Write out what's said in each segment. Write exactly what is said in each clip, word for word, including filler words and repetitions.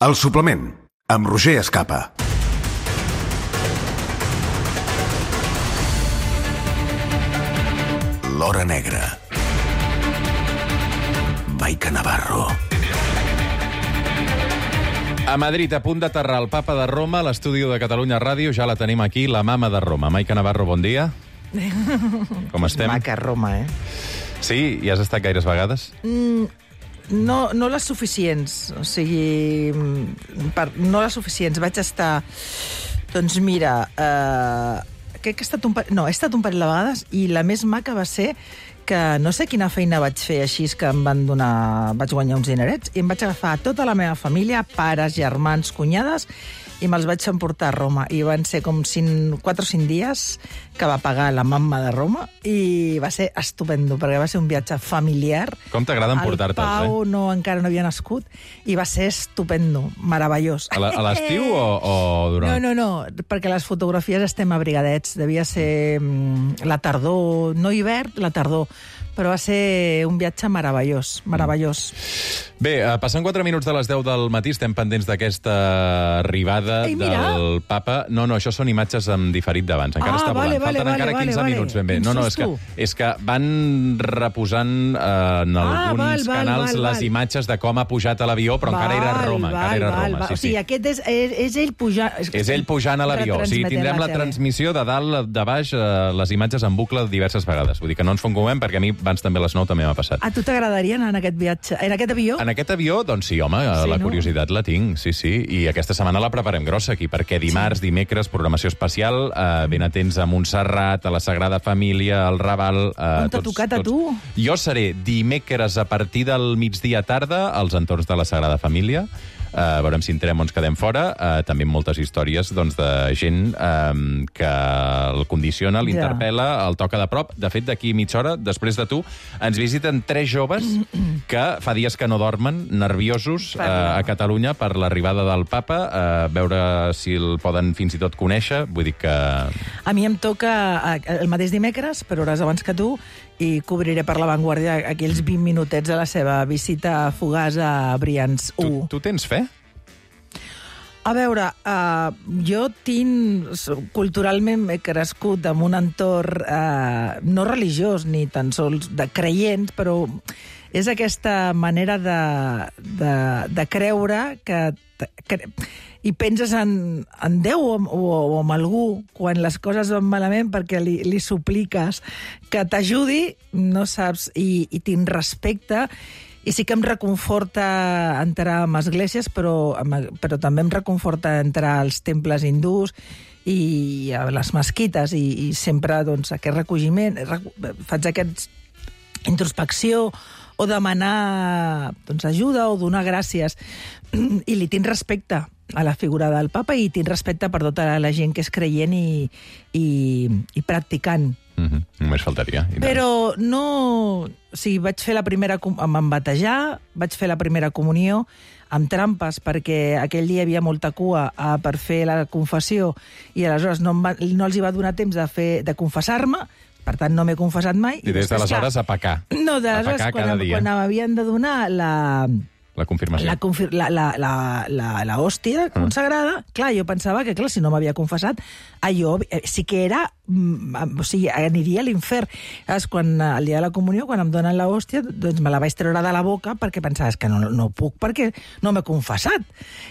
El suplement, amb Roger Escapa. L'Hora Negra. Maica Navarro. A Madrid, a punt d'aterrar el papa de Roma, a l'estudi de Catalunya Ràdio, ja la tenim aquí, la mama de Roma. Maica Navarro, bon dia. Com estem? Maca Roma, eh? Sí? Hi has estat gaires vegades? Mm, no, no les suficients. O sigui, per, no les suficients. Vaig estar... Doncs mira, eh, crec que he estat un parell... No, he estat un parell de vegades i la més maca va ser que no sé quina feina vaig fer així que em van donar... Vaig guanyar uns dinerets i em vaig agafar tota la meva família, pares, germans, cunyades, i me'ls vaig emportar a Roma. I van ser com cinc, quatre o cinc dies que va pagar la mamma de Roma i va ser estupendo, perquè va ser un viatge familiar. Com t'agrada emportar-te'ls, eh? El Pau no, encara no havia nascut i va ser estupendo, meravellós. A l'estiu o, o durant? No, no, no, perquè les fotografies estem abrigadets. Devia ser mm, la tardor, no hivern, la tardor. Però va ser un viatge meravellós, meravellós. Bé, passant quatre minuts de les deu del matí, estem pendents d'aquesta arribada Ei, del papa. No, no, això són imatges amb diferit d'abans. Encara Ah, està vale, volant. vale, Falten vale, encara vale, quinze vale. minuts ben bé. Quin No, no, és que, susto. és que van reposant eh, en Ah, alguns val, val, canals val, les val. imatges de com ha pujat a l'avió, però encara era a Roma. Val, encara era a val, Roma, val. sí, O sigui, sí. aquest és, és, és ell pujant... És ell pujant a l'avió. O sigui, tindrem la transmissió de dalt, de baix, eh, les imatges en bucle diverses vegades. Vull dir que no ens fongumem, perquè a mi abans també a les nou també m'ha passat. A tu t'agradaria anar en aquest viatge, en aquest avió? En aquest avió, doncs sí, home, Sí, la no? curiositat la tinc, sí, sí. I aquesta setmana la preparem grossa aquí, perquè dimarts, sí. dimecres, programació especial, eh, ben atents a Montserrat, a la Sagrada Família, al Raval... Eh, On t'ha tocat a tu? Jo seré dimecres a partir del migdia tarda als entorns de la Sagrada Família. Uh, veurem si entrem o ens quedem fora. Uh, també moltes històries doncs, de gent um, que el condiciona, l'interpel·la, el toca de prop. De fet, d'aquí mitja hora, després de tu, ens visiten tres joves que fa dies que no dormen, nerviosos, uh, a Catalunya per l'arribada del papa, uh, veure si el poden fins i tot conèixer. Vull dir que... A mi em toca el mateix dimecres, per hores abans que tu, i cobriré per La Vanguardia aquells vint minutets a la seva visita fugaç a Brians u. Tu, tu tens fe? A veure, uh, jo tinc... Culturalment he crescut en un entorn uh, no religiós, ni tan sols de creients, però és aquesta manera de, de, de creure que... que i penses en, en Déu o, o, o en algú quan les coses van malament perquè li, li supliques que t'ajudi, no saps, i, i tinc respecte. I sí que em reconforta entrar en esglésies, però, però també em reconforta entrar als temples hindús i a les mesquites, i, i sempre doncs, aquest recolliment, faig aquesta introspecció o demanar doncs, ajuda o donar gràcies. I li tinc respecte a la figura del papa i tinc respecte per tota la gent que és creient i, i, i practicant. Mm-hmm. Només faltaria. Però no... O sigui, vaig fer la primera... Em van batejar, vaig fer la primera comunió amb trampes, perquè aquell dia hi havia molta cua a, per fer la confessió i aleshores no, em va, no els hi va donar temps de, fer, de confessar-me, per tant no m'he confessat mai. I, I des d'aleshores a pecar. No, d'aleshores quan, quan m'havien de donar la... La confirmació. La, confir la, la, la, la, la hòstia consagrada, ah. clar, jo pensava que, clar, si no m'havia confessat, allò sí que era... O sigui, aniria a l'infern. Quan el dia de la comunió, quan em donen la hòstia, doncs me la vaig treure de la boca perquè pensava que no, no puc perquè no m'he confessat.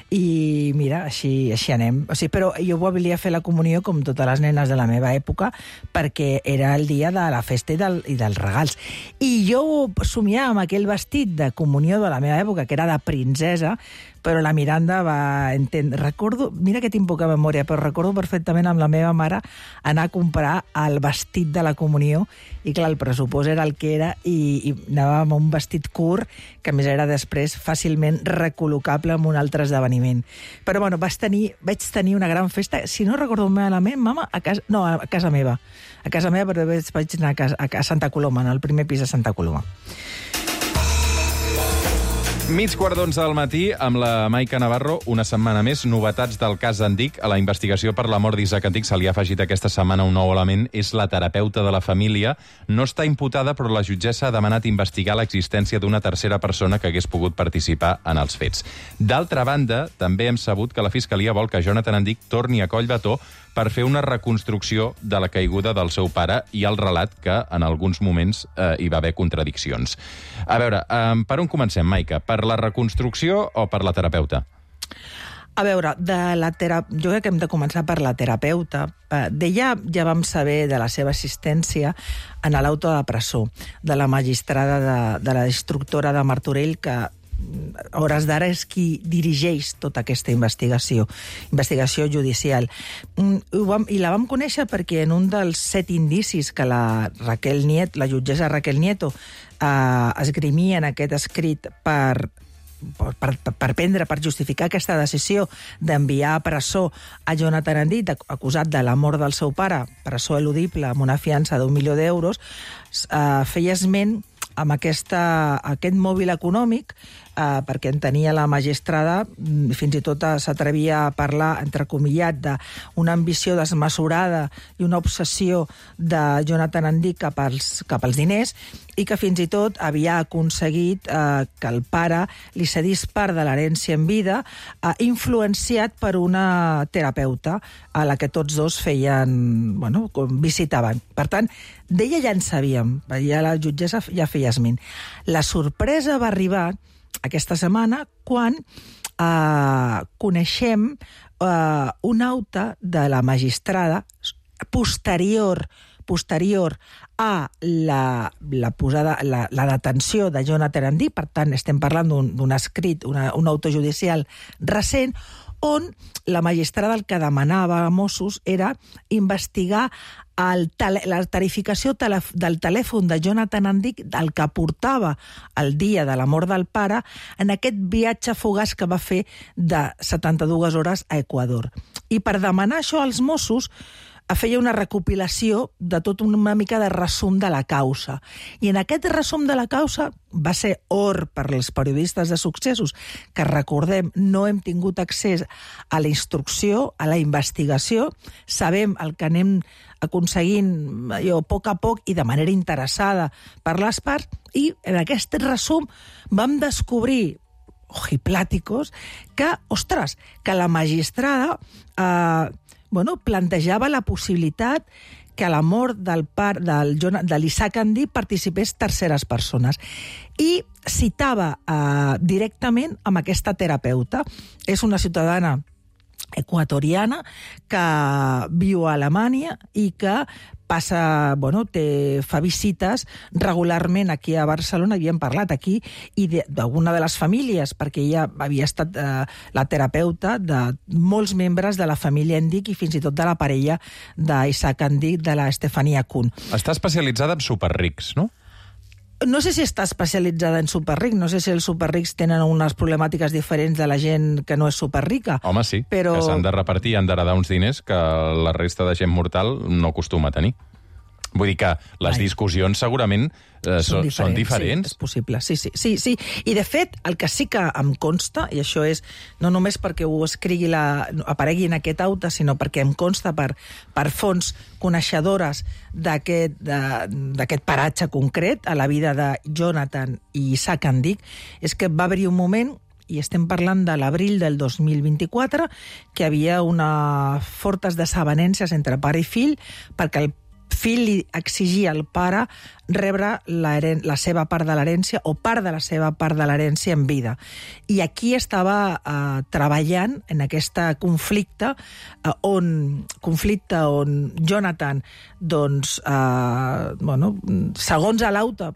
I mira, així, així anem. O sigui, però jo volia fer la comunió com totes les nenes de la meva època perquè era el dia de la festa i, del, i dels regals. I jo somiava amb aquell vestit de comunió de la meva època, que era de princesa, però la Miranda va entendre... Recordo, mira que tinc poca memòria, però recordo perfectament amb la meva mare anar a comprar el vestit de la comunió i, clar, el pressupost era el que era i, i anàvem amb un vestit curt que, a més, era després fàcilment recol·locable en un altre esdeveniment. Però, bueno, vaig tenir, vaig tenir una gran festa, si no recordo malament, mama, a casa, no, a casa meva. A casa meva, però vaig anar a, casa, a Santa Coloma, en el primer pis de Santa Coloma. Mig quart d'onze del matí, amb la Maica Navarro, una setmana més, novetats del cas Andic. A la investigació per la mort d'Isaac Andic se li ha afegit aquesta setmana un nou element, és la terapeuta de la família. No està imputada, però la jutgessa ha demanat investigar l'existència d'una tercera persona que hagués pogut participar en els fets. D'altra banda, també hem sabut que la Fiscalia vol que Jonathan Andic torni a Collbató per fer una reconstrucció de la caiguda del seu pare i el relat que en alguns moments eh, hi va haver contradiccions. A veure, eh, per on comencem, Maica? Per la reconstrucció o per la terapeuta? A veure, de la tera... jo crec que hem de començar per la terapeuta. D'ella ja vam saber de la seva assistència en l'auto de presó de la magistrada, de, de la instructora de Martorell, que a hores d'ara és qui dirigeix tota aquesta investigació, investigació judicial. I la vam conèixer perquè en un dels set indicis que la Raquel Nieto, la jutgessa Raquel Nieto, eh, esgrimia en aquest escrit per Per, per, per prendre, per justificar aquesta decisió d'enviar a presó a Jonathan Andic, acusat de la mort del seu pare, presó eludible amb una fiança d'un milió d'euros, eh, feia esment amb aquesta, aquest mòbil econòmic, eh, perquè en tenia la magistrada, fins i tot s'atrevia a parlar, entrecomillat, d'una ambició desmesurada i una obsessió de Jonathan Andic cap als, cap als diners, i que fins i tot havia aconseguit eh, que el pare li cedís part de l'herència en vida, eh, influenciat per una terapeuta a la que tots dos feien, bueno, visitaven. Per tant, d'ella ja en sabíem, ja la jutgessa ja feia esment. La sorpresa va arribar aquesta setmana quan eh, coneixem eh, un acte de la magistrada posterior posterior a la, la, posada, la, la detenció de Jonathan Andic. Per tant, estem parlant d'un escrit, una, un autojudicial recent, on la magistrada el que demanava a Mossos era investigar el tele, la tarificació tele, del telèfon de Jonathan Andic, el que portava el dia de la mort del pare, en aquest viatge fugaç que va fer de setanta-dues hores a Equador. I per demanar això als Mossos, feia una recopilació de tot una mica de resum de la causa. I en aquest resum de la causa va ser or per als periodistes de successos, que recordem, no hem tingut accés a la instrucció, a la investigació, sabem el que anem aconseguint jo, a poc a poc i de manera interessada per les parts, i en aquest resum vam descobrir ojipláticos que, ostres, que la magistrada eh, bueno, plantejava la possibilitat que a la mort del par, del, de l'Isaac Andic participés terceres persones. I citava eh, directament amb aquesta terapeuta. És una ciutadana equatoriana que viu a Alemanya i que passa, bueno, té, fa visites regularment aquí a Barcelona, havíem parlat aquí, i d'alguna de les famílies, perquè ella havia estat eh, la terapeuta de molts membres de la família Andic i fins i tot de la parella d'Isaac Andic, de la Estefania Kuhn. Està especialitzada en superrics, no? No sé si està especialitzada en superric, no sé si els superrics tenen unes problemàtiques diferents de la gent que no és superrica. Home, sí, però... que s'han de repartir i han d'heredar uns diners que la resta de gent mortal no acostuma a tenir. Vull dir que les Ai. discussions segurament eh, són, diferents, són diferents. Sí, és possible, sí, sí, sí, sí. I de fet, el que sí que em consta, i això és no només perquè ho escrigui la, aparegui en aquest acte, sinó perquè em consta per, per fonts coneixedores d'aquest paratge concret a la vida de Jonathan i Isaac Andic, és que va haver-hi un moment, i estem parlant de l'abril del dos mil vint-i-quatre, que hi havia una fortes desavenències entre pare i fill, perquè el fill li exigia al pare rebre la, la seva part de l'herència o part de la seva part de l'herència en vida. I aquí estava eh, treballant en aquest conflicte eh, on, conflicte on Jonathan, doncs, eh, bueno, segons a l'auto,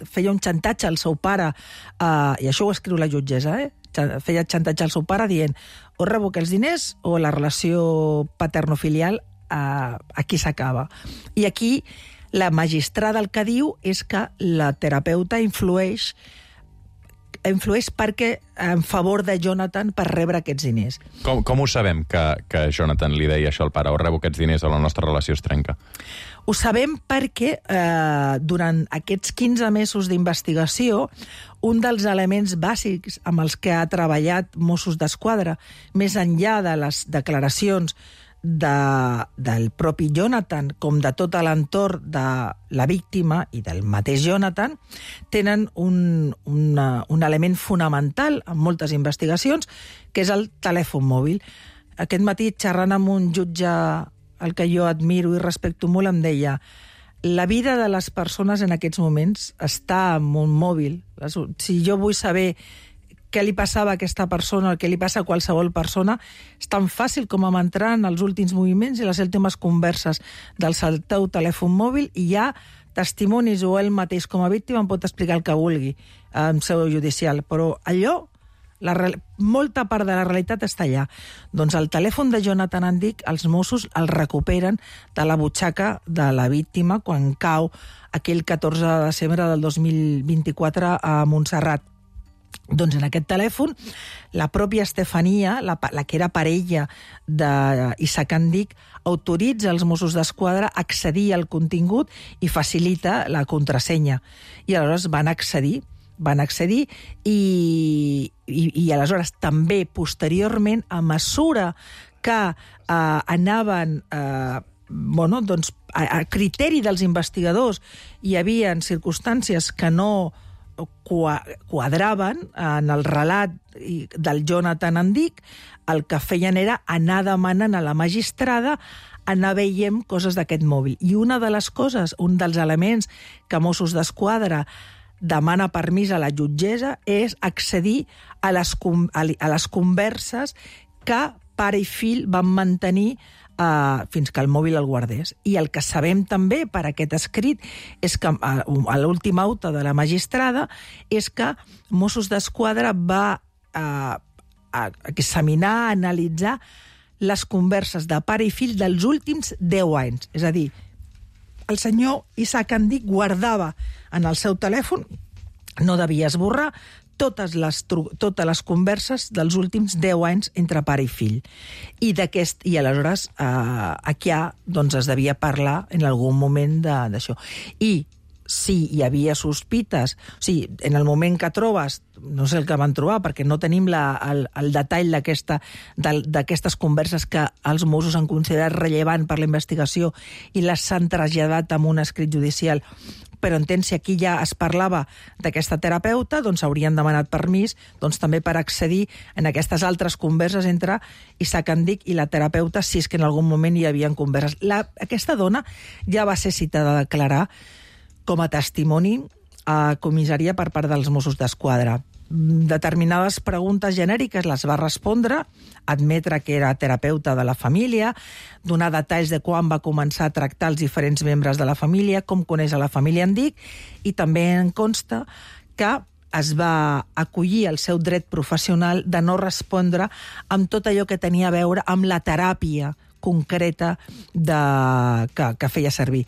feia un xantatge al seu pare, eh, i això ho escriu la jutgessa, eh? feia xantatge al seu pare dient o revoca els diners o la relació paternofilial Uh, aquí s'acaba. I aquí la magistrada el que diu és que la terapeuta influeix influeix perquè en favor de Jonathan per rebre aquests diners. Com, com ho sabem que, que Jonathan li deia això al pare, o rebo aquests diners o la nostra relació es trenca? Ho sabem perquè eh, durant aquests quinze mesos d'investigació, un dels elements bàsics amb els que ha treballat Mossos d'Esquadra, més enllà de les declaracions de, del propi Jonathan com de tot l'entorn de la víctima i del mateix Jonathan, tenen un, una, un element fonamental en moltes investigacions, que és el telèfon mòbil. Aquest matí, xerrant amb un jutge el que jo admiro i respecto molt, em deia: la vida de les persones en aquests moments està en un mòbil. Si jo vull saber què li passava a aquesta persona, el que li passa a qualsevol persona, és tan fàcil com amb entrar en els últims moviments i les últimes converses del teu telèfon mòbil, i hi ha testimonis, o ell mateix com a víctima em pot explicar el que vulgui en seu judicial, però allò, la, molta part de la realitat està allà. Doncs el telèfon de Jonathan Andic, els Mossos el recuperen de la butxaca de la víctima quan cau aquell catorze de desembre del dos mil vint-i-quatre a Montserrat. Doncs en aquest telèfon, la pròpia Estefania, la, la que era parella d'Isaac Andic, autoritza els Mossos d'Esquadra a accedir al contingut i facilita la contrasenya. I aleshores van accedir, van accedir i, i, i aleshores també, posteriorment, a mesura que eh, anaven... Eh, bueno, doncs, a, a criteri dels investigadors, hi havia circumstàncies que no quadraven en el relat del Jonathan Andic, el que feien era anar demanant a la magistrada, anar veient coses d'aquest mòbil. I una de les coses, un dels elements que Mossos d'Esquadra demana permís a la jutgessa és accedir a les, a les converses que pare i fill van mantenir Uh, fins que el mòbil el guardés. I el que sabem també per aquest escrit és que uh, a l'última auta de la magistrada és que Mossos d'Esquadra va uh, a examinar, a analitzar les converses de pare i fill dels últims deu anys. És a dir, el senyor Isaac Andic guardava en el seu telèfon, no devia esborrar, totes les, totes les converses dels últims deu anys entre pare i fill. I, d'aquest, i aleshores eh, aquí ja, doncs, es devia parlar en algun moment d'això. I si hi havia sospites, o sigui, en el moment que trobes, no sé el que van trobar, perquè no tenim la, el, el detall d'aquestes converses que els Mossos han considerat rellevant per la investigació i les s'han traslladat amb un escrit judicial, però entén, si aquí ja es parlava d'aquesta terapeuta, doncs haurien demanat permís doncs, també per accedir en aquestes altres converses entre Isaac Andic i la terapeuta, si és que en algun moment hi havia converses. La, aquesta dona ja va ser citada a declarar com a testimoni a comissaria per part dels Mossos d'Esquadra. Determinades preguntes genèriques les va respondre, admetre que era terapeuta de la família, donar detalls de quan va començar a tractar els diferents membres de la família, com coneix a la família Andic, i també en consta que es va acollir el seu dret professional de no respondre amb tot allò que tenia a veure amb la teràpia concreta de, que, que feia servir.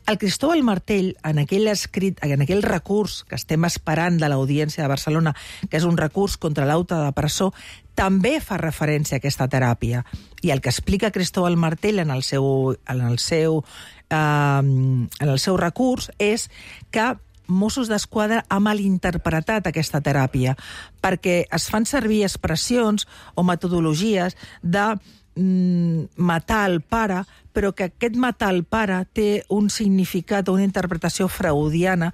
El Cristóbal Martell, en aquell escrit, en aquell recurs que estem esperant de l'Audiència de Barcelona, que és un recurs contra l'auta de presó, també fa referència a aquesta teràpia. I el que explica Cristóbal Martell en el seu, en el seu, eh, en el seu recurs és que Mossos d'Esquadra ha malinterpretat aquesta teràpia, perquè es fan servir expressions o metodologies de matar el pare, però que aquest matar el pare té un significat o una interpretació freudiana,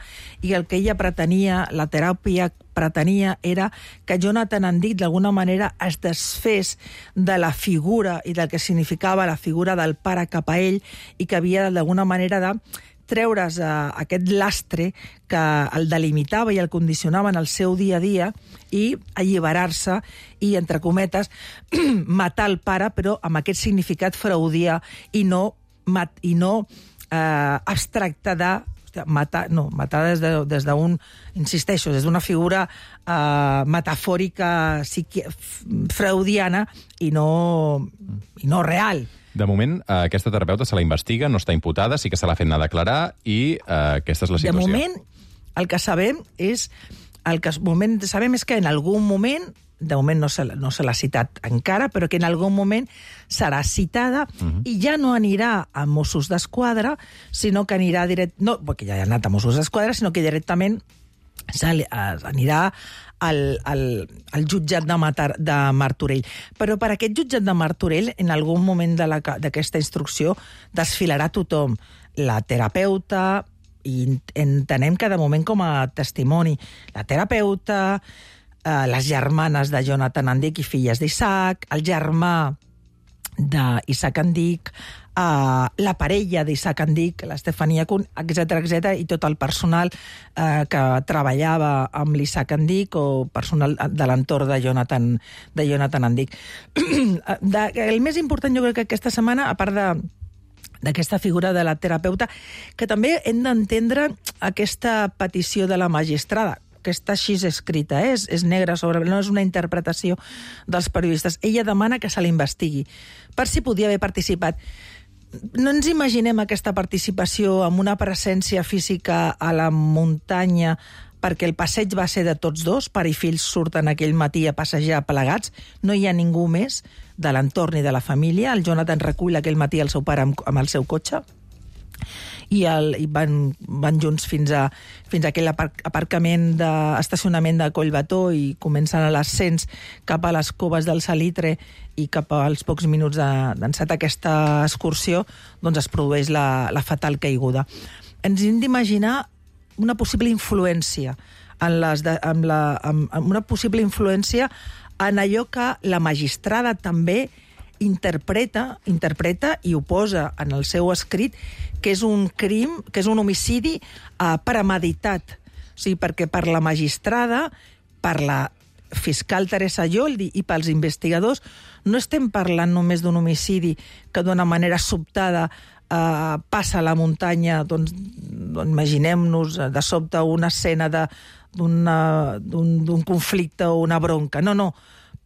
i el que ella pretenia, la teràpia pretenia, era que Jonathan Andic d'alguna manera es desfés de la figura i del que significava la figura del pare cap a ell, i que havia d'alguna manera de treure's uh, aquest lastre que el delimitava i el condicionava en el seu dia a dia i alliberar-se i, entre cometes, matar el pare, però amb aquest significat freudià i no, mat, i no uh, abstracte de matar, no, matar des de, des d'un, insisteixo, des d'una figura uh, metafòrica psiqui, freudiana i no, i no real. De moment, aquesta terapeuta se la investiga, no està imputada, sí que se l'ha fet anar a declarar i uh, aquesta és la situació. De moment, el que sabem és, el que moment sabem és que en algun moment de moment no se, no se l'ha citat encara, però que en algun moment serà citada uh-huh. i ja no anirà a Mossos d'Esquadra, sinó que anirà direct... No, perquè ja ha anat a Mossos d'Esquadra, sinó que directament anirà al, al, al jutjat de, Matar, de Martorell. Però per aquest jutjat de Martorell, en algun moment de la, d'aquesta instrucció, desfilarà tothom. La terapeuta, i entenem que de moment com a testimoni, la terapeuta, eh, les germanes de Jonathan Andic i filles d'Isaac, el germà d'Isaac Andic, eh, la parella d'Isaac Andic, l'Estefania Kuhn, etcètera, etcètera, i tot el personal eh, que treballava amb l'Isaac Andic o personal de l'entorn de Jonathan, de Jonathan Andic. de, el més important, jo crec que aquesta setmana, a part de d'aquesta figura de la terapeuta, que també hem d'entendre aquesta petició de la magistrada, que està així escrita, eh? és, és negra sobre... no és una interpretació dels periodistes. Ella demana que se l'investigui, per si podia haver participat. No ens imaginem aquesta participació amb una presència física a la muntanya, perquè el passeig va ser de tots dos, pare i fills surten aquell matí a passejar plegats, no hi ha ningú més de l'entorn i de la família. El Jonathan recull aquell matí el seu pare amb, amb el seu cotxe, i, el, i van, van junts fins a, fins a aquell aparcament de, estacionament de Collbató, i comencen a l'ascens cap a les coves del Salitre, i cap als pocs minuts d'encetar aquesta excursió doncs es produeix la, la fatal caiguda. Ens hem d'imaginar una possible influència en les de, amb la, amb, amb una possible influència en allò que la magistrada també interpreta, interpreta i ho posa en el seu escrit, que és un crim, que és un homicidi eh, premeditat. O sigui, perquè per la magistrada, per la fiscal Teresa Yoldi i pels investigadors, no estem parlant només d'un homicidi que d'una manera sobtada Uh, passa a la muntanya, doncs, doncs imaginem-nos de sobte una escena d'un conflicte o una bronca. No, no.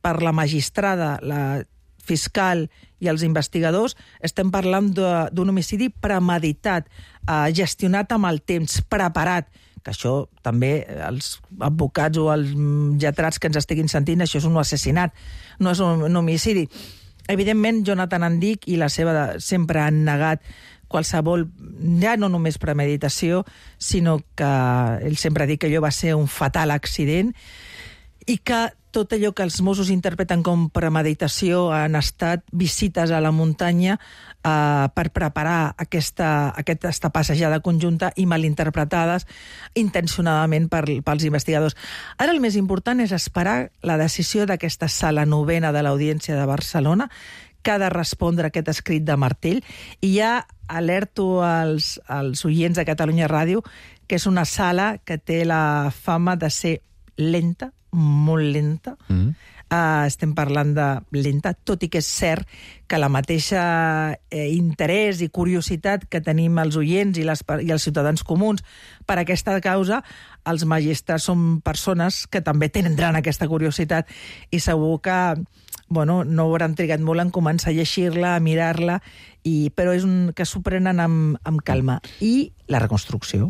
Per la magistrada, la fiscal i els investigadors estem parlant d'un homicidi premeditat, uh, gestionat amb el temps, preparat, que això també els advocats o els lletrats que ens estiguin sentint, això és un assassinat, no és un, un homicidi. Evidentment, Jonathan Andic i la seva sempre han negat qualsevol, ja no només premeditació, sinó que ell sempre ha dit que allò va ser un fatal accident i que tot allò que els Mossos interpreten com premeditació han estat visites a la muntanya eh, per preparar aquesta, aquesta passejada conjunta i malinterpretades intencionadament per, pels investigadors. Ara el més important és esperar la decisió d'aquesta sala novena de l'Audiència de Barcelona, que ha de respondre a aquest escrit de Martell, i ja alerto als, als oients de Catalunya Ràdio que és una sala que té la fama de ser lenta, molt lenta. Mm. Uh, estem parlant de lenta, tot i que és cert que la mateixa eh, interès i curiositat que tenim els oients i, les, i els ciutadans comuns per aquesta causa, els magistrats són persones que també tindran aquesta curiositat, i segur que bueno, no hauran trigat molt en començar a llegir-la, a mirar-la, i, però és un, que s'ho prenen amb, amb calma. I la reconstrucció.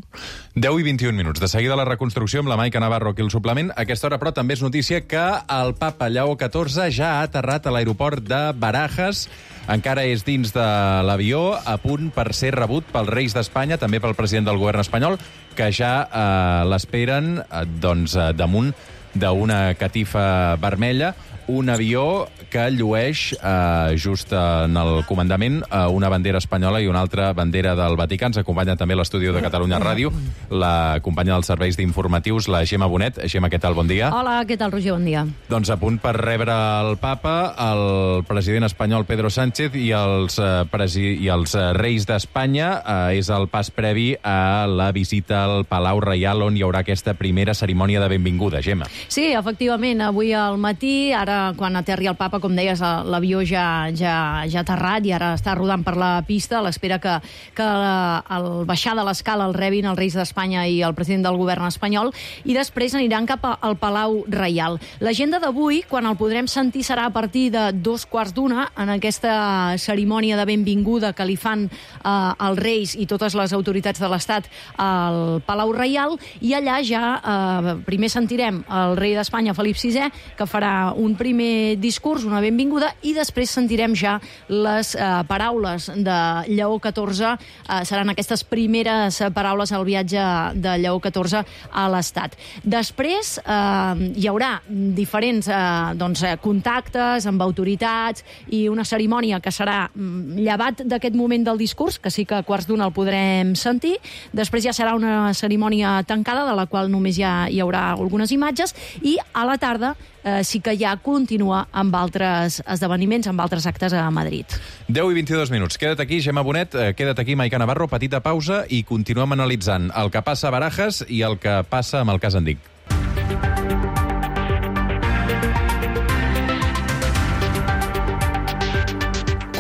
deu i vint i un minuts. De seguida la reconstrucció amb la Maica Navarro aquí al suplement. A aquesta hora, però, també és notícia que el papa Lleó catorze ja ha aterrat a l'aeroport de Barajas. Encara és dins de l'avió, a punt per ser rebut pels reis d'Espanya, també pel president del govern espanyol, que ja eh, l'esperen eh, doncs, eh, damunt d'una catifa vermella. Un avió que llueix eh, just en el comandament eh, una bandera espanyola i una altra bandera del Vaticà. Ens acompanya també a l'estudi de Catalunya Ràdio la companya dels serveis d'informatius, la Gemma Bonet. Gemma, què tal? Bon dia. Hola, què tal, Roger? Bon dia. Doncs a punt per rebre el papa, el president espanyol Pedro Sánchez i els, eh, presi i els eh, reis d'Espanya. Eh, és el pas previ a la visita al Palau Reial, on hi haurà aquesta primera cerimònia de benvinguda. Gemma. Sí, efectivament, avui al matí, ara quan aterri el papa, com deies, l'avió ja, ja, ja ha aterrat i ara està rodant per la pista a l'espera que, que al baixar de l'escala el rebin els reis d'Espanya i el president del govern espanyol, i després aniran cap al Palau Reial. L'agenda d'avui, quan el podrem sentir, serà a partir de dos quarts d'una, en aquesta cerimònia de benvinguda que li fan eh, els reis i totes les autoritats de l'Estat al Palau Reial, i allà ja eh, primer sentirem el rei d'Espanya, Felip sisè, que farà un primer discurs, una benvinguda, i després sentirem ja les eh, paraules de Lleó catorze, eh, seran aquestes primeres paraules al viatge de Lleó catorze a l'Estat. Després eh, hi haurà diferents eh, doncs, contactes amb autoritats i una cerimònia que serà llevat d'aquest moment del discurs, que sí que a quarts d'una el podrem sentir. Després ja serà una cerimònia tancada, de la qual només ja hi haurà algunes imatges, i a la tarda eh, sí que ja continua amb altres esdeveniments, amb altres actes a Madrid. deu i vint-i-dos minuts. Queda't aquí, Gemma Bonet, eh, queda't aquí, Maica Navarro, petita pausa i continuem analitzant el que passa a Barajas i el que passa amb el cas Andic.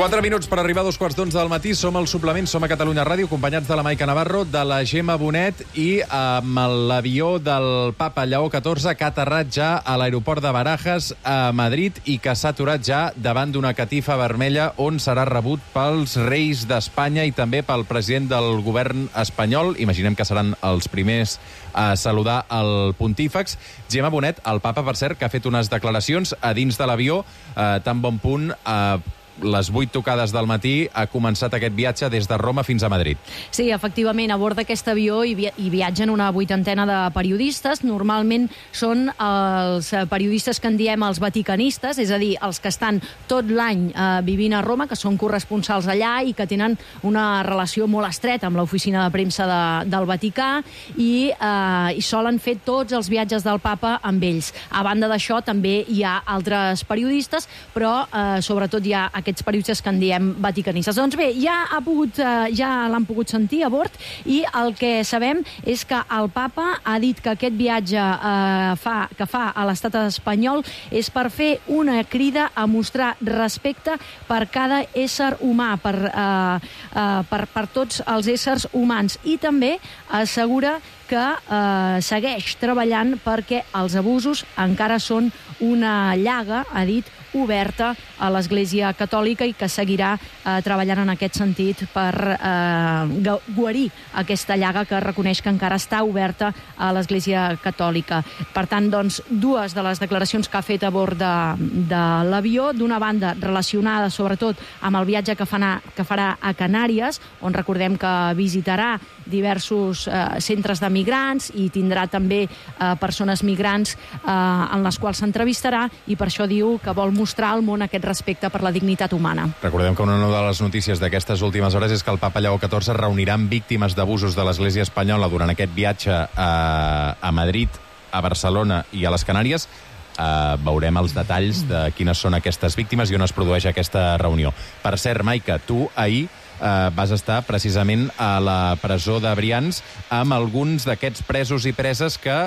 Quatre minuts per arribar a dos quarts d'onze del matí. Som al suplement, som a Catalunya Ràdio, acompanyats de la Maica Navarro, de la Gemma Bonet i amb l'avió del papa Lleó catorze, que ha aterrat ja a l'aeroport de Barajas, a Madrid, i que s'ha aturat ja davant d'una catifa vermella on serà rebut pels reis d'Espanya i també pel president del govern espanyol. Imaginem que seran els primers a saludar el pontífex. Gemma Bonet, el papa, per cert, que ha fet unes declaracions a dins de l'avió, eh, tan bon punt a eh, les vuit tocades del matí ha començat aquest viatge des de Roma fins a Madrid. Sí, efectivament, a bord d'aquest avió hi, via hi viatgen una vuitantena de periodistes. Normalment són els periodistes que en diem els vaticanistes, és a dir, els que estan tot l'any eh, vivint a Roma, que són corresponsals allà i que tenen una relació molt estreta amb l'oficina de premsa de, del Vaticà, i, eh, i solen fer tots els viatges del papa amb ells. A banda d'això, també hi ha altres periodistes, però eh, sobretot hi ha aquests periodistes que en diem vaticanistes. Doncs bé, ja ha pogut, ja l'han pogut sentir a bord, i el que sabem és que el papa ha dit que aquest viatge eh, fa, que fa a l'estat espanyol és per fer una crida a mostrar respecte per cada ésser humà, per, eh, eh, per, per tots els éssers humans, i també assegura que eh, segueix treballant perquè els abusos encara són una llaga, ha dit, oberta a l'Església Catòlica, i que seguirà eh, treballant en aquest sentit per eh, guarir aquesta llaga que reconeix que encara està oberta a l'Església Catòlica. Per tant, doncs, dues de les declaracions que ha fet a bord de, de l'avió, d'una banda relacionada sobretot amb el viatge que, farà, que farà a Canàries, on recordem que visitarà diversos eh, centres de migrants i tindrà també eh, persones migrants eh, en les quals s'entrevistarà, i per això diu que vol mostrar al món aquest respecte per la dignitat humana. Recordem que una de les notícies d'aquestes últimes hores és que el papa Lleó catorze reunirà amb víctimes d'abusos de l'Església espanyola durant aquest viatge a, a Madrid, a Barcelona i a les Canàries. Uh, veurem els detalls de quines són aquestes víctimes i on es produeix aquesta reunió. Per cert, Maica, tu ahir uh, vas estar precisament a la presó de Brians amb alguns d'aquests presos i preses que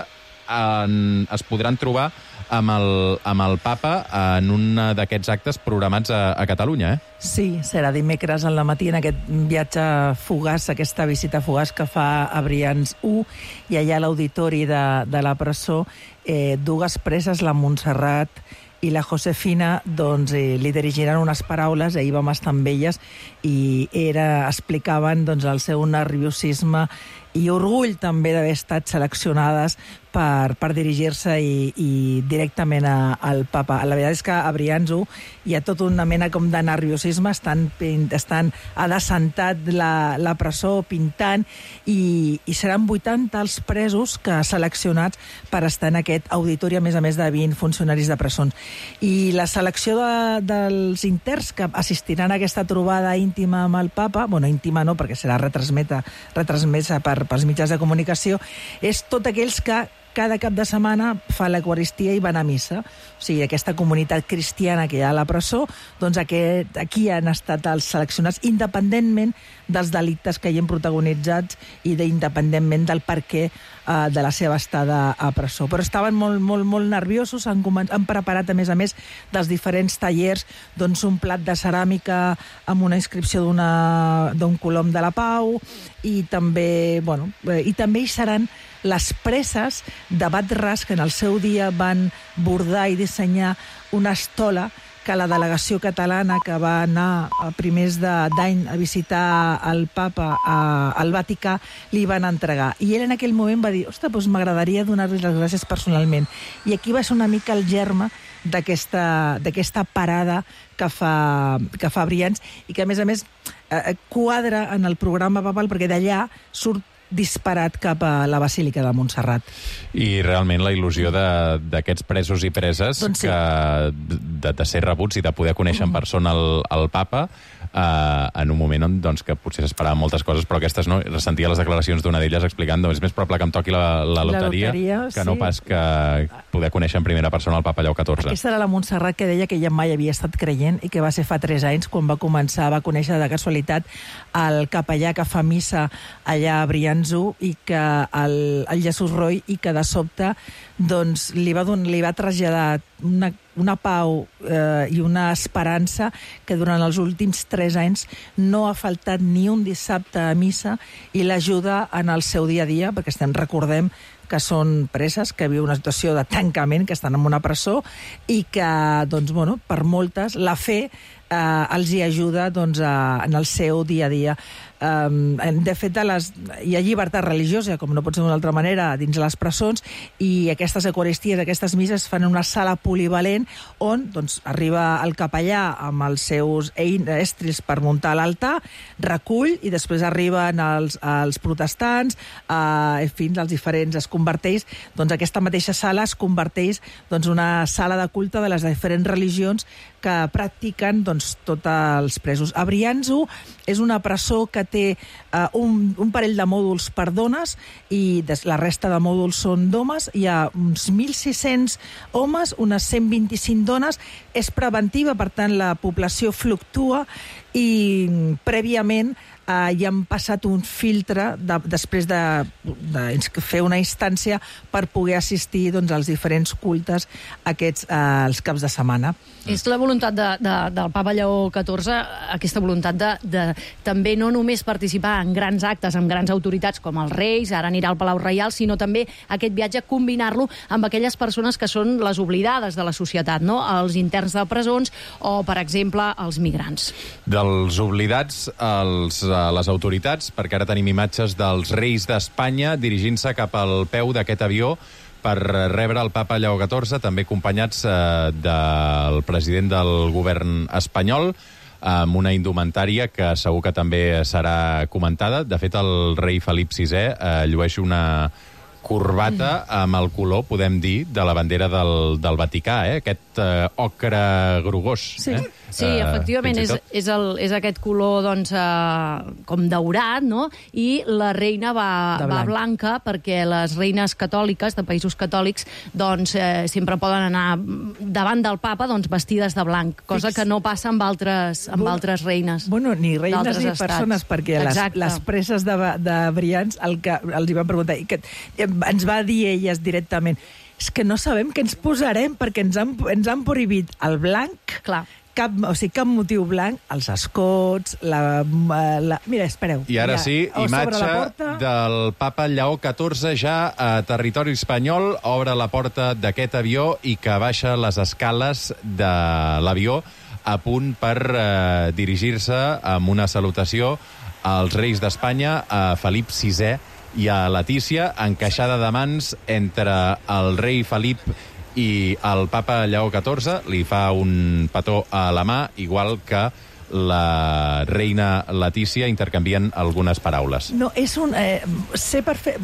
en, es podran trobar amb el, amb el papa en un d'aquests actes programats a, a Catalunya, eh? Sí, serà dimecres al matí en aquest viatge fugaç, aquesta visita fugaç que fa a Brians u, i allà a l'auditori de, de la presó, eh, dues preses, la Montserrat i la Josefina, doncs, eh, li dirigiran unes paraules, ahir vam estar amb elles, i era, explicaven doncs, el seu nerviosisme i orgull també d'haver estat seleccionades per, per dirigir-se i, i directament a, al papa. La veritat és que a Brians u hi ha tot una mena com de nerviosisme, estan, estan adassentat la, la presó, pintant, i, i seran vuitanta els presos que seleccionats per estar en aquest auditori, a més a més de vint funcionaris de presons. I la selecció de, dels interns que assistiran a aquesta trobada íntima amb el papa, bueno, íntima no, perquè serà retransmeta, retransmesa per, pels mitjans de comunicació, és tots aquells que cada cap de setmana fa l'Eucaristia i van a missa. O sigui, aquesta comunitat cristiana que hi ha a la presó, doncs aquest, aquí han estat els seleccionats independentment dels delictes que hi han protagonitzats i independentment del per què eh, de la seva estada a presó. Però estaven molt, molt, molt nerviosos, han, han preparat, a més a més, dels diferents tallers, doncs un plat de ceràmica amb una inscripció d'un colom de la Pau, i també, bueno, eh, i també hi seran les preses de Bat Ras, que en el seu dia van bordar i dissenyar una estola que la delegació catalana que va anar a primers d'any a visitar el papa a, al Vaticà li van entregar. I ell en aquell moment va dir, ostres, doncs m'agradaria donar-li les gràcies personalment. I aquí va ser una mica el germe d'aquesta d'aquesta parada que fa, que fa Brians i que, a més a més, eh, quadra en el programa papal, perquè d'allà surt disparat cap a la Basílica de Montserrat. I realment la il·lusió d'aquests presos i preses, doncs sí, que de, de ser rebuts i de poder conèixer en persona el, el papa, eh, en un moment on, doncs, que potser s'esperaven moltes coses, però aquestes no. Sentia les declaracions d'una d'elles explicant, doncs, és més probable que em toqui la, la, loteria, la loteria que sí, no pas que poder conèixer en primera persona el papa Lleó catorze. Aquesta era la Montserrat que deia que ella mai havia estat creient i que va ser fa tres anys quan va començar, va conèixer de casualitat el capellà que fa missa allà a Brianzo i que el, el Jesús Roy, i que de sobte doncs, li, va don, li va traslladar una, una pau eh, i una esperança que durant els últims tres anys no ha faltat ni un dissabte a missa i l'ajuda en el seu dia a dia, perquè estem, recordem que són preses, que viuen una situació de tancament, que estan en una presó i que, doncs, bueno, per moltes, la fe eh, els hi ajuda, doncs, a, en el seu dia a dia. Um, de fet, a les, hi ha llibertat religiosa, com no pot ser d'una altra manera, dins les presons, i aquestes eucaristies, aquestes misses fan en una sala polivalent on, doncs, arriba el capellà amb els seus estrils per muntar l'altar, recull, i després arriben els, els protestants, eh, fins als diferents, es converteix, doncs aquesta mateixa sala es converteix doncs una sala de culte de les diferents religions que practiquen, doncs, tots els presos. A Brianzo és una presó que té uh, un, un parell de mòduls per dones i des, la resta de mòduls són d'homes. Hi ha uns mil sis-cents homes, unes cent vint-i-cinc dones. És preventiva, per tant, la població fluctua i prèviament uh, hi han passat un filtre de, després de, de fer una instància per poder assistir, doncs, als diferents cultes aquests uh, els caps de setmana. És la voluntat de, de, del papa Lleó catorze, aquesta voluntat de, de també no només participar en grans actes amb grans autoritats com els reis, ara anirà al Palau Reial, sinó també aquest viatge combinar-lo amb aquelles persones que són les oblidades de la societat, no? Els interns de presons o, per exemple, els migrants. Dels oblidats als, a les autoritats, perquè ara tenim imatges dels reis d'Espanya dirigint-se cap al peu d'aquest avió per rebre el papa Lleó catorze, també acompanyats eh, del president del govern espanyol, amb una indumentària que segur que també serà comentada. De fet, el rei Felip sisè eh, llueix una corbata amb el color, podem dir, de la bandera del, del Vaticà, eh? Aquest eh, ocre grogós. Sí, eh? sí, efectivament, és, és, el, és aquest color, doncs, eh, com daurat, no? I la reina va, va blanca, perquè les reines catòliques, de països catòlics, doncs, eh, sempre poden anar davant del papa, doncs, vestides de blanc, cosa Fix. que no passa amb altres, amb bueno, altres reines. Bueno, ni reines ni estats. persones, perquè les, les preses de, de Brians, el que els hi van preguntar, i que ens va dir elles directament, és que no sabem què ens posarem, perquè ens han, ens han prohibit el blanc. Clar. Cap, o sigui, cap motiu blanc, els escots, la... la mira, espereu. I ara mira, sí, imatge del papa Lleó catorze ja a territori espanyol, obre la porta d'aquest avió i que baixa les escales de l'avió a punt per eh, dirigir-se amb una salutació als reis d'Espanya, a Felip sisè i a Letícia, encaixada de mans entre el rei Felip i el papa Lleó catorze. Li fa un petó a la mà, igual que la reina Letícia intercanvien algunes paraules. No, és un... Eh, sé per fer...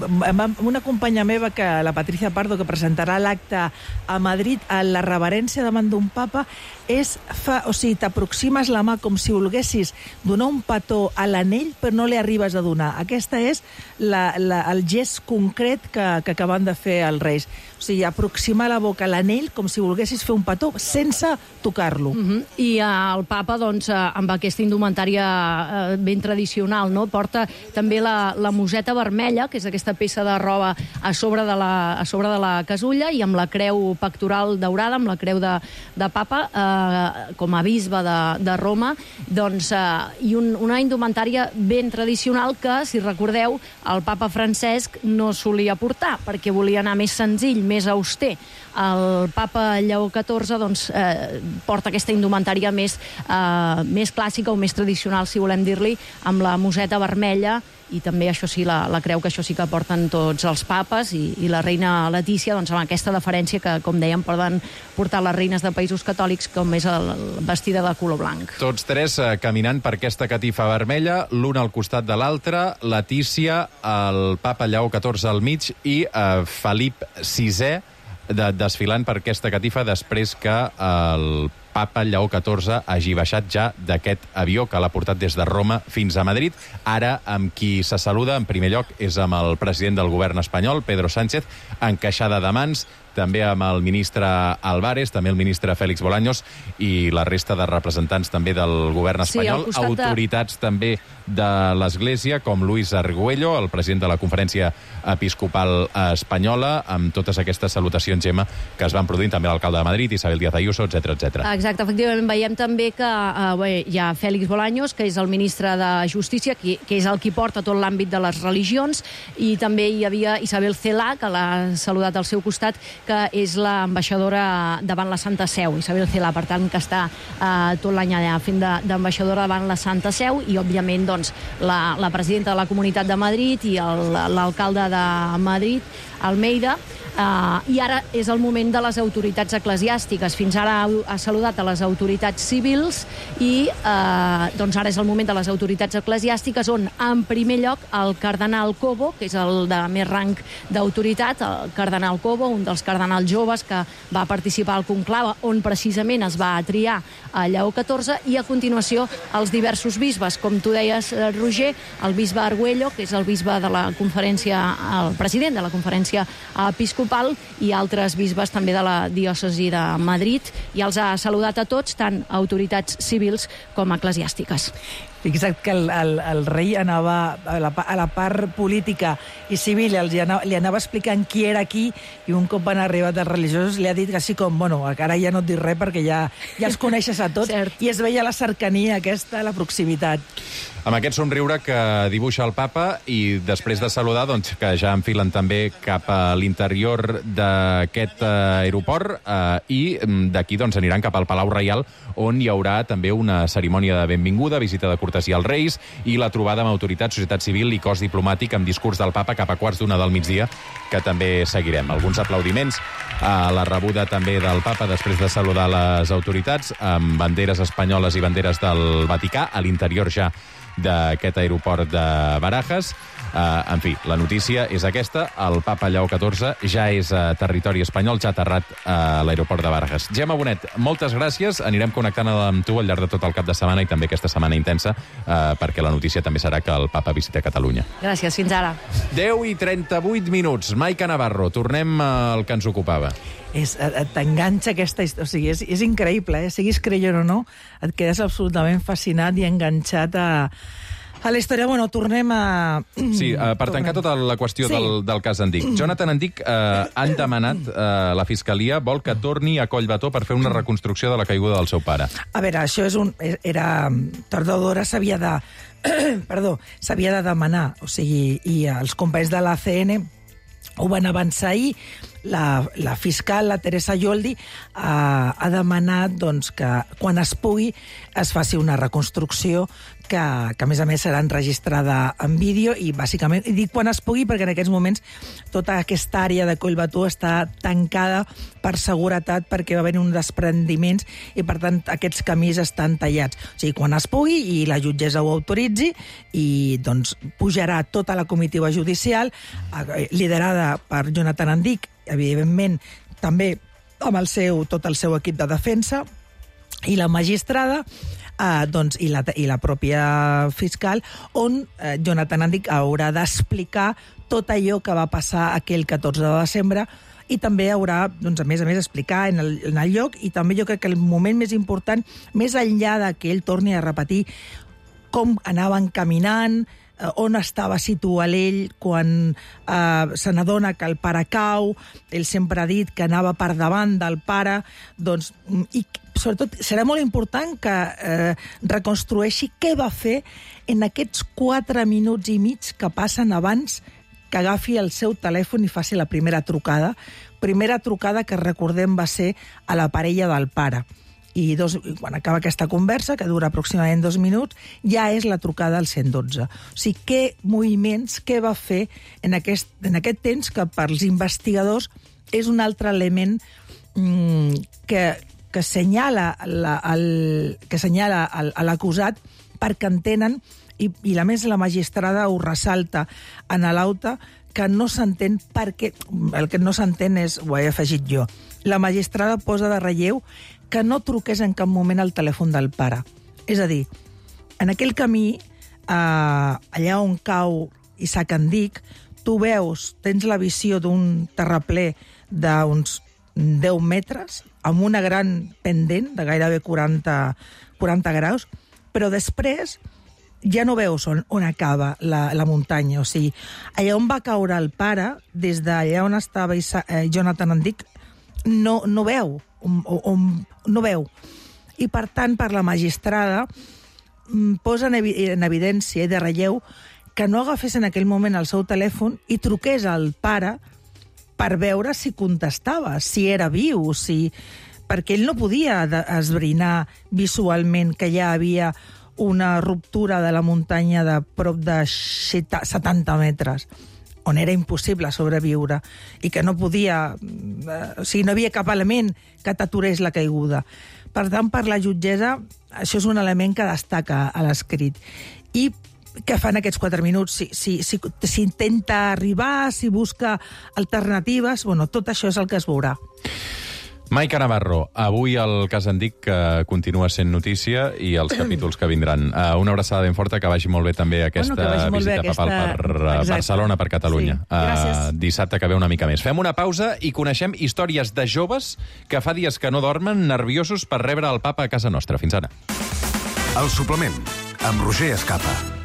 Una companya meva, que la Patricia Pardo, que presentarà l'acte a Madrid, a la reverència davant d'un papa, és... Fa, o sigui, t'aproximes la mà com si volguessis donar un petó a l'anell, però no li arribes a donar. Aquesta és la, la, el gest concret que, que acaben de fer els reis. O sigui, aproximar la boca a l'anell com si volguessis fer un petó sense tocar-lo. Uh-huh. I uh, el papa, doncs, uh, amb aquesta indumentària uh, ben tradicional, no? Porta també la, la museta vermella, que és aquesta peça de roba a sobre de la, a sobre de la casulla, i amb la creu pectoral daurada, amb la creu de, de papa, uh, com a bisbe de, de Roma, doncs, uh, i un, una indumentària ben tradicional que, si recordeu, el papa Francesc no solia portar, perquè volia anar més senzill, més auster. El papa Lleó catorze doncs, eh, porta aquesta indumentària més, eh, més clàssica o més tradicional, si volem dir-li, amb la museta vermella, i també, això sí, la, la creu, que això sí que porten tots els papes, i, i la reina Letícia, doncs, amb aquesta deferència que, com dèiem, poden portar les reines de països catòlics, com és el, el vestida de color blanc. Tots tres eh, caminant per aquesta catifa vermella, l'un al costat de l'altre, Letícia, el papa Lleó catorze al mig i eh, Felip sisè de, desfilant per aquesta catifa després que el papa Lleó catorze hagi baixat ja d'aquest avió que l'ha portat des de Roma fins a Madrid. Ara, amb qui se saluda, en primer lloc, és amb el president del govern espanyol, Pedro Sánchez, encaixada de mans, també amb el ministre Álvarez, també el ministre Félix Bolaños i la resta de representants també del govern espanyol, sí, autoritats de... també de l'Església, com Luis Argüello, el president de la Conferència Episcopal Espanyola, amb totes aquestes salutacions, Gemma, que es van produint, també l'alcalde de Madrid, Isabel Díaz Ayuso, etcètera, etcètera. Exacte, efectivament, veiem també que eh, bé, hi ha Félix Bolaños, que és el ministre de Justícia, que, que és el qui porta tot l'àmbit de les religions, i també hi havia Isabel Celaá, que l'ha saludat al seu costat, que és l'ambaixadora davant la Santa Seu. Isabel Celaá, per tant, que està eh, tot l'any allà fent d'ambaixadora davant la Santa Seu, i, òbviament, doncs, la, la presidenta de la Comunitat de Madrid i l'alcalde de Madrid, Almeida. Uh, I ara és el moment de les autoritats eclesiàstiques. Fins ara ha, ha saludat a les autoritats civils i uh, doncs ara és el moment de les autoritats eclesiàstiques, on, en primer lloc, el cardenal Cobo, que és el de més rang d'autoritat, el cardenal Cobo, un dels cardenals joves que va participar al conclave, on precisament es va triar a Lleó catorze, i a continuació els diversos bisbes, com tu deies, Roger, el bisbe Argüello, que és el bisbe de la conferència, el president de la conferència episcopal, i altres bisbes també de la diòcesi de Madrid, i els ha saludat a tots, tant autoritats civils com eclesiàstiques. Fixa't que el, el, el rei anava a la, a la part política i civil, li anava, li anava explicant qui era qui, i un cop van arribar dels religiosos li ha dit així com, bueno, ara ja no et dic res perquè ja, ja els coneixes a tots. Cert. I es veia la cercania aquesta, la proximitat. Amb aquest somriure que dibuixa el papa, i després de saludar, doncs, que ja enfilen també cap a l'interior d'aquest aeroport, eh, i d'aquí doncs, aniran cap al Palau Reial, on hi haurà també una cerimònia de benvinguda, visita de cortesia als Reis, i la trobada amb autoritat, societat civil i cos diplomàtic amb discurs del papa cap a quarts d'una del migdia, que també seguirem. Alguns aplaudiments a la rebuda també del papa després de saludar les autoritats, amb banderes espanyoles i banderes del Vaticà, a l'interior ja d'aquest aeroport de Barajas. Uh, en fi, la notícia és aquesta. El papa Lleó catorze ja és a territori espanyol, ja ha aterrat a l'aeroport de Barajas. Gemma Bonet, moltes gràcies. Anirem connectant amb tu al llarg de tot el cap de setmana i també aquesta setmana intensa, uh, perquè la notícia també serà que el papa visita Catalunya. Gràcies, fins ara. deu i trenta-vuit minuts. Maica Navarro, tornem al que ens ocupava. És, t'enganxa aquesta història, o sigui, és, és increïble, eh? Siguis creient o no, et quedes absolutament fascinat i enganxat a, a la història. Bueno, tornem a... Sí, uh, per tancar tota la qüestió sí. del, del cas Endic. Jonathan Endic uh, han demanat, uh, la Fiscalia vol que torni a Collbató per fer una reconstrucció de la caiguda del seu pare. A veure, això és un... Era... Tardor d'hora s'havia de... Perdó, s'havia de demanar, o sigui, i els companys de l'A C N ho van avançar ahir. la, la fiscal, la Teresa Yoldi, ha, ha demanat doncs, que quan es pugui es faci una reconstrucció que, que a més a més serà enregistrada en vídeo i bàsicament, i dic quan es pugui perquè en aquests moments tota aquesta àrea de Collbató està tancada per seguretat perquè va haver-hi uns desprendiments i per tant aquests camins estan tallats. O sigui, quan es pugui i la jutgessa ho autoritzi i doncs pujarà tota la comitiva judicial liderada per Jonathan Andic, evidentment també amb el seu, tot el seu equip de defensa i la magistrada eh, doncs, i, la, i la pròpia fiscal, on eh, Jonathan Andic haurà d'explicar tot allò que va passar aquell catorze de desembre i també haurà, doncs, a més a més, explicar en el, en el lloc i també jo crec que el moment més important, més enllà de que ell torni a repetir com anaven caminant, on estava situat ell quan eh, se n'adona que el pare cau, ell sempre ha dit que anava per davant del pare, doncs, i sobretot serà molt important que eh, reconstrueixi què va fer en aquests quatre minuts i mig que passen abans que agafi el seu telèfon i faci la primera trucada. Primera trucada que, recordem, va ser a la parella del pare. I dos, quan acaba aquesta conversa, que dura aproximadament dos minuts, ja és la trucada al cent i dotze. O sigui, què moviments, què va fer en aquest, en aquest temps que pels investigadors és un altre element mmm, que, que senyala la, el, que senyala el, l'acusat perquè entenen, i, i a més la magistrada ho ressalta en l'auta, que no s'entén perquè... El que no s'entén és, ho he afegit jo, la magistrada posa de relleu que no truqués en cap moment al telèfon del pare. És a dir, en aquell camí, eh, allà on cau Isaac Andic, tu veus, tens la visió d'un terraplè d'uns deu metres, amb una gran pendent de gairebé quaranta, quaranta graus, però després ja no veus on, on acaba la, la muntanya. O sigui, allà on va caure el pare, des d'allà on estava Isa, eh, Jonathan Andic, no, no veu. On, on, no veu. I, per tant, per la magistrada, posa en, evi en evidència i de relleu que no agafés en aquell moment el seu telèfon i truqués al pare per veure si contestava, si era viu, si... perquè ell no podia esbrinar visualment que ja havia una ruptura de la muntanya de prop de setanta metres, on era impossible sobreviure i que no podia... Eh, o sigui, no havia cap element que t'aturés la caiguda. Per tant, per la jutgessa, això és un element que destaca a l'escrit. I què fan aquests quatre minuts? Si, si, si, si intenta arribar, si busca alternatives... Bueno, tot això és el que es veurà. Maica Navarro, avui el cas Andic que continua sent notícia i els capítols que vindran. Uh, una abraçada ben forta, que vagi molt bé també aquesta bueno, visita bé papal aquesta... per Exacte. Barcelona, per Catalunya. Sí. Uh, dissabte que ve una mica més. Fem una pausa i coneixem històries de joves que fa dies que no dormen, nerviosos per rebre el papa a casa nostra. Fins ara. El suplement, amb Roger Escapa.